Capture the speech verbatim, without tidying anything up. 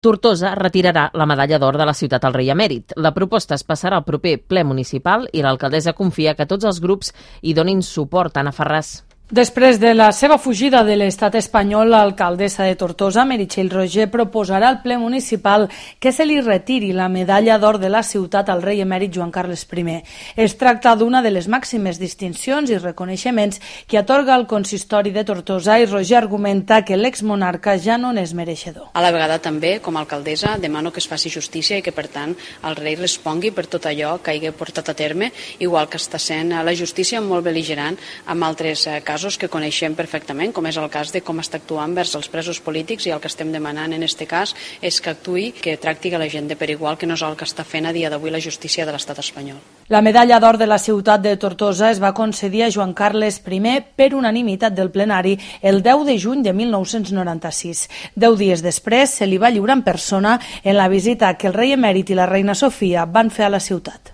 Tortosa retirarà la medalla d'or de la ciutat al rei emèrit. La proposta es passarà al proper ple municipal i l'alcaldessa confia que tots els grups hi donin suport. Anna Ferràs. Després de la seva fugida de l'estat espanyol, l'alcaldessa de Tortosa, Meritxell Roger, proposarà al ple municipal que se li retiri la medalla d'or de la ciutat al rei emèrit Joan Carles I. Es tracta d'una de les màximes distincions i reconeixements que atorga el consistori de Tortosa i Roger argumenta que l'exmonarca ja no n'és mereixedor. A la vegada també, com a alcaldessa, demano que es faci justícia i que, per tant, el rei respongui per tot allò que hagi portat a terme, igual que està sent la justícia molt bel·ligerant amb altres casos que coneixem perfectament, com és el cas de com està actuant vers els presos polítics, i el que estem demanant en aquest cas és que actuï, que tracti la gent de per igual, que no és el que està fent a dia d'avui la justícia de l'estat espanyol. La medalla d'or de la ciutat de Tortosa es va concedir a Joan Carles I per unanimitat del plenari el deu de juny de mil nou-cents noranta-sis. Deu dies després se li va lliurar en persona en la visita que el rei emèrit i la reina Sofia van fer a la ciutat.